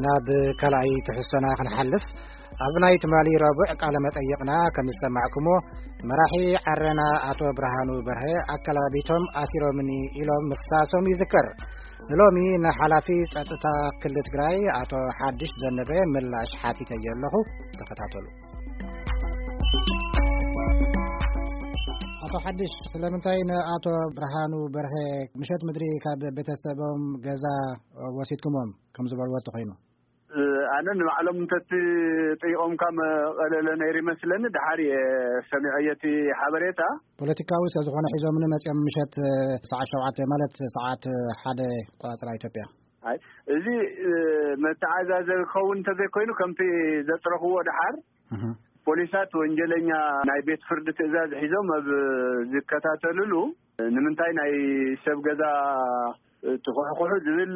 ናብ ካልኣይ ትሕዝቶና ክንሓልፍ፣ ኣብ ናይ ትማሊ ረቡዕ ቃለ መጠይቕና ከም ዝሰማዕኩሞ፣ መራሒ ዓረና ኣቶ ብርሃኑ በርሀ ኣከላቢቶም ኣሲሮምኒ ኢሎም ምኽሳሶም ይዝከር። ንሎሚ ንሓላፊ ጸጥታ ክልል ትግራይ ኣቶ ሓድሽ ዘነበ ምላሽ ሓቲተዮ ኣለኹ። ተኸታተሉ። ኣቶ ሓድሽ፣ ስለምንታይ ንኣቶ ብርሃኑ በርሀ ምሸት ምድሪ ካብ ቤተሰቦም ገዛ ወሲድኩሞም ከም ዝበልዎ ተኾይኑ? ኣነ ንባዕሎም እንተትጥይቖምካ መቐለለ ነይሩ ይመስለኒ። ድሓር እየ ሰሚዐዮ እቲ ሓበሬታ። ፖለቲካዊ ስለ ዝኾነ ሒዞምኒ መፂኦም ምሸት ሰዓት ሸውዓተ፣ ማለት ሰዓት ሓደ ቆፃፅራ ኢትዮጵያ። ኣይ፣ እዚ መተዓዛዘቢ ክኸውን እንተዘይኮይኑ፣ ከምቲ ዘፅረኽዎ ድሓር እህ። ፖሊሳት ወንጀለኛ ናይ ቤት ፍርዲ ትእዛዝ ሒዞም ኣብ ዝከታተልሉ፣ ንምንታይ ናይ ሰብ ገዛ ትኹሕኩሑ ዝብል፣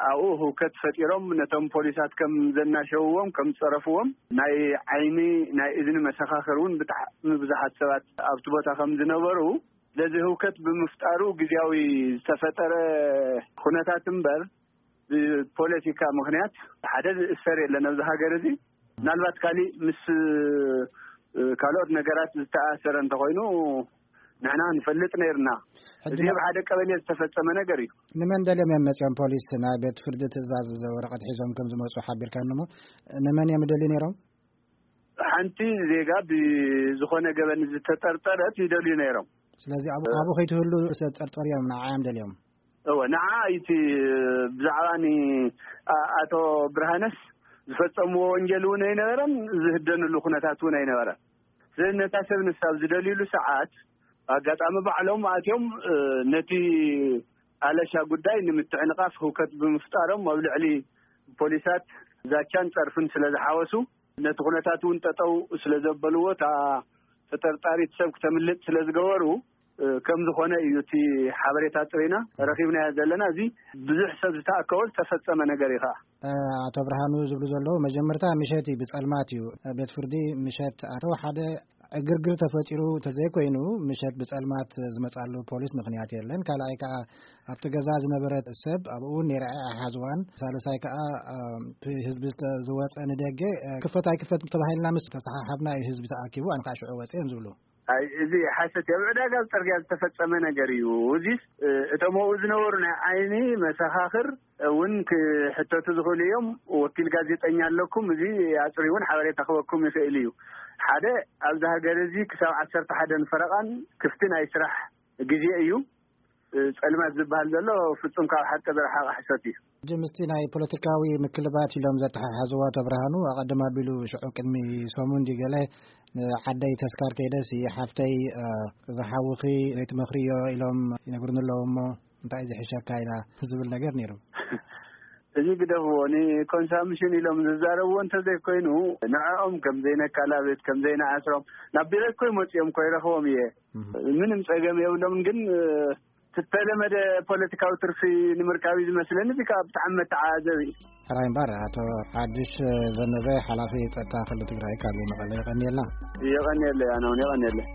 ኣብኡ ህውከት ፈጢሮም ነቶም ፖሊሳት ከም ዘናሸውዎም፣ ከም ዝጸረፍዎም፣ ናይ ዓይኒ ናይ እዝኒ መሰኻኽር እውን ብጣዕሚ ብዙሓት ሰባት ኣብቲ ቦታ ከም ዝነበሩ፣ ስለዚ ህውከት ብምፍጣሩ ግዝያዊ ዝተፈጠረ ኩነታት እምበር፣ ብፖለቲካ ምኽንያት ሓደ ዝእሰር የለን ኣብዚ ሃገር እዚ። ምናልባት ካሊእ ምስ ካልኦት ነገራት ዝተኣሰረ እንተኾይኑ ንሕና ንፈልጥ ነይርና። ሕጂ እዚ ን- ኣብ ሓደ ቀበሌ ዝተፈጸመ ነገር እዩ። ንመን ደልዮም እዮም መጺኦም? ፖሊስ ናይ ቤት ፍርዲ ትእዛዝ ወረቐት ሒዞም ከም ዝመጹ ሓቢርካኒ እሞ፣ ንመን እዮም ደልዩ ነይሮም? ሓንቲ ዜጋ ብዝኾነ ገበን ዝተጠርጠረት ይደልዩ ነይሮም። ስለዚ ኣብ-፣ እ- ኣብኡ ከይትህሉ ዝተጠርጠሩ እዮም ንዓዮም ደልዮም? እወ፣ ንዓ እቲ ብዛዕባ ን-፣ ኣ-፣ ኣቶ ብርሃነስ ዝፈጸምዎ ወንጀል እውን ኣይነበረን፣ ዝህደንሉ ኩነታት እውን ኣይነበረን። ስለዚ ነታ ሰብ ንሳ ኣብ ዝደልዩሉ ሰዓት፣ ኣጋጣሚ ባዕሎም ኣትዮም፣ እ፣ ነቲ ኣለሻ ጉዳይ ንምትዕንቓፍ ህውከት ብምፍጣሮም፣ ኣብ ልዕሊ ፖሊሳት ዛቻን ጸርፍን ስለ ዝሓወሱ፣ ነቲ ኩነታት እውን ጠጠው ስለ ዘበልዎ፣ እታ ተጠርጣሪት ሰብ ክተምልጥ ስለ ዝገበሩ፣ እ፣ ከም ዝኾነ እዩ እቲ ሓበሬታ ጥሪና ረኺብናዮ ዘለና። እዚ ብዙሕ ሰብ ዝተኣከቦ ዝተፈጸመ ነገር እዩ ኸዓ። እ፣ ኣቶ ብርሃኑ ዝብሉ ዘለዉ፣ መጀመርታ ምሸት እዩ፣ ብጸልማት እዩ። ቤት ፍርዲ ምሸት ኣተው፣ ሓደ ዕግርግር ተፈጢሩ እንተዘይኮይኑ፣ ምሸት ብጸልማት ዝመጻሉ ፖሊስ ምኽንያት የለን። ካልኣይ ከኣ ኣብቲ ገዛ ዝነበረት ሰብ ኣብኡ እውን ነይራ እያ፣ ኣይሓዝዋን። ሳልሳይ ከኣ፣ እ፣ እቲ ህዝቢ ዝተ-፣ ዝወጸ ንደገ፣ እ፣ ክፈት ኣይክፈት ተባሂልና ምስ ተሰሓሓብና እዩ ህዝቢ ተኣኪቡ፣ ኣነ ከኣ ሽዑ ወጽየ እዮም ዝብሉ። ኣይ፣ እዚ ሓሰት እዩ። ኣብ ዕዳጋ ኣብ ጽርግያ ዝተፈጸመ ነገር እዩ። እዚስ፣ እ፣ እቶም ኣብኡ ዝነበሩ ናይ ዓይኒ መሰኻኽር እውን ክሕተቱ ዝኽእሉ እዮም። ወኪል ጋዜጠኛ ኣለኩም፣ እዚ ኣጽሪ እውን ሓበሬታ ክበኩም ይኽእል እዩ። ሓደ፣ ኣብዚ ሃገር እዚ ክሳብ ዓሰርተ ሓደን ፈረቓን ክፍቲ ናይ ስራሕ ግዜ እዩ። እ፣ ጸልማት ዝበሃል ዘሎ ፍጹም ካብ ሓቂ ዝረሓቐ ሓሶት እዩ። ሕጂ ምስቲ ናይ ፖለቲካዊ ምክልባት ኢሎም ዘተሓሓዝዎ ኣቶ ብርሃኑ፣ ኣቐድም ኣቢሉ ሽዑ ቅድሚ ሰሙን ድዩ ገለ ንዓደይ ተስካር ከይደሲ ሓፍተይ፣ እ፣ ዝሓውኺ ዘይትመኽርዮ ኢሎም ይነግሩኒ ኣለዉ እሞ እንታይ ዝሕሸካ ኢላ ዝብል ነገር ነይሩ። እዚ ግደፍዎ፣ ንኮንሳምሽን ኢሎም ዝዛረብዎ እንተዘይኮይኑ፣ ንዕኦም ከም ዘይነካላብት፣ ከም ዘይንኣስሮም፣ ናብ ቢሮ እኮ ይመጽኦም እኮ ይረኽቦም እየ። እህ። ምንም ጸገም የብሎም፣ ግን፣ እ፣ ዝተለመደ ፖለቲካዊ ትርፊ ንምርካብ እዩ ዝመስለኒ። እዚ ከኣ ብጣዕሚ መተዓዘቢ እዩ። ሕራይ እምበር፣ ኣቶ ሓድሽ ዘነበ፣ ሓላፊ ጸጥታ ክልል ትግራይ፣ ካብ መቐለ፣ የቐንየልና። የቐንየለይ፣ ኣነ እውን የቐንየለይ።